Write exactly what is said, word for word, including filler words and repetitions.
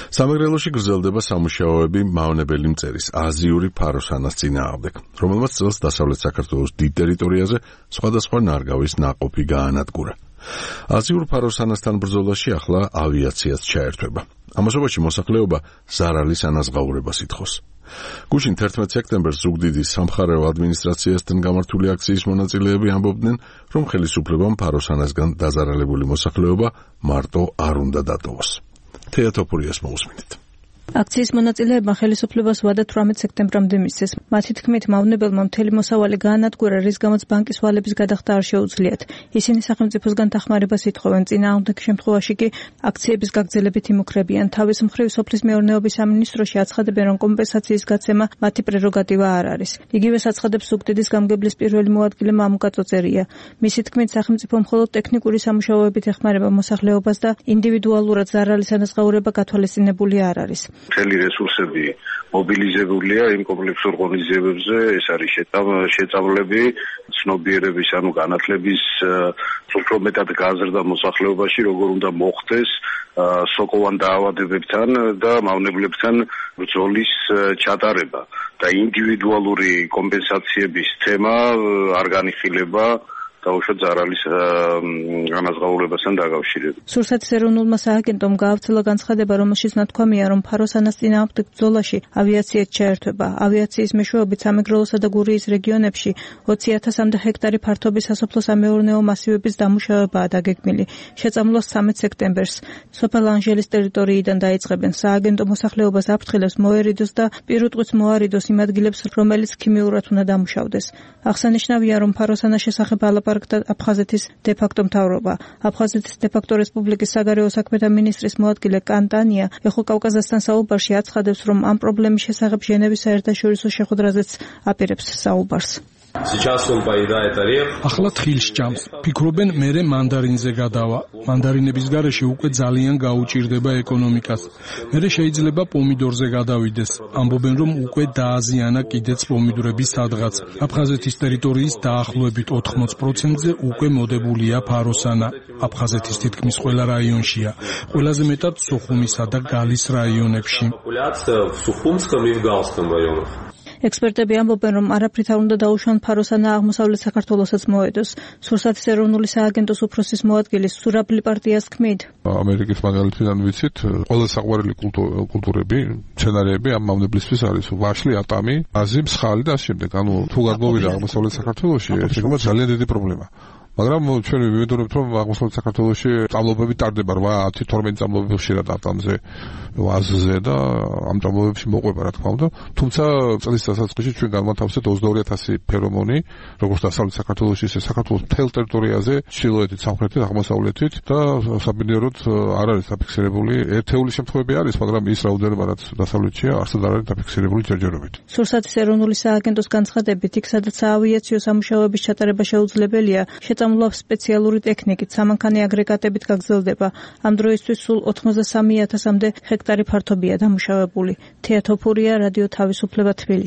სამეგრელოში გრძელდება სამუშაოები მავნებელი მწერის აზიური ფაროსანას წინააღმდეგ, რომელმაც წელს დასავლეთ საქართველოს დიდ ტერიტორიაზე სხვადასხვა ნარგავის ნაყოფი გაანადგურა. აზიურ ფაროსანასთან ბრძოლაში ახლა ავიაციაც ჩაერთვება. ამასობაში მოსახლეობა ზარალის ანაზღაურებას ითხოვს. გუშინ თერთმეტ სექტემბერს ზუგდიდის სამხარეო ადმინისტრაციასთან გამართული აქციის მონაწილეები ამბობდნენ, რომ ხელისუფლებამ ფაროსანასგან დაზარალებული მოსახლეობა მარტო არ უნდა დატოვოს. თეა თოფურიას მოусმინეთ. აქციის მონაწილეებმა ხელისუფლებას ვადა თვრამეტ სექტემბრამდე მისცეს. მათი თქმით, მავნებელმა მთელი მოსავალი გაანადგურა, რის გამოც ბანკის ვალების გადახდა არ შეუძლიათ. ისინი სახელმწიფოსგან დახმარებას ითხოვენ, წინააღმდეგ შემთხვევაში კი აქციების გაგრძელებით იმუქრებიან. თავის მხრივ სოფლის მეურნეობის სამინისტროში აცხადებენ, რომ კომპენსაციის გაცემა მათი პრეროგატივა არ არის. იგივეს აცხადებს ზუგდიდის გამგებლის პირველი მოადგილე მამუკა წოწერია. მისი თქმით, სახელმწიფო მხოლოდ ტექნიკური სამუშაოებით ეხმარება მოსახლეობას და ინდივიდუალურად ზარალის ანაზღაურება გათვალისწინებული არ არის. მთელი რესურსები მობილიზებულია იმ კომპლექსურ ღონისძიებებზე, ეს არის შეწავლები, ცნობიერების, ანუ განათლების უფრო მეტად გაზრდა მოსახლეობაში, როგორ უნდა მოხდეს სოკოვან დაავადებებთან და მავნებლებთან ბრძოლის ჩატარება და ინდივიდუალური კომპენსაციების თემა არ განიხილება დაუშვათ ზარალის ანაზღაურებასთან დაკავშირებით. სურსათის ეროვნულმა სააგენტომ გაავრცელა განცხადება, რომელშიც ნათქვამია, რომ ფაროსანას წინააღმდეგ ბრძოლაში ავიაციაც ჩაერთვება. ავიაციის მეშვეობით სამეგრელოსა და გურიის რეგიონებში ოცი ათასამდე ჰექტარი ფართობის სასოფლო-სამეურნეო მასივების დამუშავებაა დაგეგმილი. შეწამლოს ცამეტ სექტემბერს სოფელ ანჟელის ტერიტორიიდან დაიწყებენ. სააგენტო მოსახლეობას აფრთხილებს მოერიდოს და პირუტყვით მოარიდოს იმ ადგილებს, რომელიც ქიმიურად უნდა დამუშავდეს. აღსანიშნავია, რომ ფაროსანას შესახებ ლაპარაკდა აფხაზეთის დე-ფაქტო მთავრობა. აფხაზეთის დე-ფაქტო რესპუბლიკის საგარეო საქმეთა მინისტრის მოადგილე კანტანია ეხო კავკაზასთან საუბარში აცხადებს, რომ ამ პრობლემის შესახებ ჟენევის საერთაშორისო შეხვედრაზეც აპირებს საუბარს. ახლა თხილს ჭამს. ფიქრობენ, მერე მანდარინზე გადავა. მანდარინების გარეშე უკვე ძალიან გაუჭირდება ეკონომიკას. მერე შეიძლება პომიდორზე გადავიდეს. ამბობენ, რომ უკვე დააზიანა კიდეც პომიდორების სადღაც. აფხაზეთის ტერიტორიის დაახლოებით ოთხმოც პროცენტზე უკვე მოდებულია ფაროსანა. აფხაზეთის თითქმის ყველა რაიონშია. ყველაზე მეტად სუხუმისა და გალის რაიონებში. ექსპერტები ამბობენ, რომ არაფრით არ უნდა დაუშვან ფაროსანა აღმოსავლეთ საქართველოსაც მოედოს. სურსათის ეროვნული სააგენტოს უფროსის მოადგილის სურაბლი პარტიას თქმით, ამერიკის მაგალითიდან ვიცით, ყველა საყვარელი კულტურები, მცენარეები ამ მავნებლისთვის არის ვაშლი, ატამი, აზი, მსხალი და ამ შემდეგ. ანუ თუ გადმოვიდა აღმოსავლეთ საქართველოში, ეს იქნება ძალიან დიდი პრობლემა. მაგრამ ჩვენ ვიმედოვნებთ, რომ აღმოსავლეთ საქართველოში წამლობები ტარდება რვა ათი თორმეტი წამლობები ხშირად ატამზე, ვაზზე და ამ წამლობებში მოყვება, რა თქმა უნდა. თუმცა წლის დასაწყისში ჩვენ განმათავსეთ ოცდაორი ათასი ფერომონი, როგორც დასავლეთ საქართველოში, ისე საქართველოს მთელ ტერიტორიაზე, ჩრდილოეთით, სამხრეთით, აღმოსავლეთით და საბინდეროდ არ არის დაფიქსირებული. ერთეული შემთხვევები არის, მაგრამ ის რაოდენობა, რაც დასავლეთშია, არსად არ არის დაფიქსირებული ჯერჯერობით. სურსათის ეროვნული სააგენტოს განცხადებით, იქ სადაც საავიაციო სამუშაოების ჩატარება შეუძლებელია, შეწამლვა სპეციალური ტექნიკით, სამანქანე აგრეგატებით გაგრძელდება. ამ დროისთვის სულ ოთხმოცდასამი ათასამდე ჰექტარი ფართობია დამუშავებული. თეა თოფურია, რადიო თავისუფლება, თბილისი.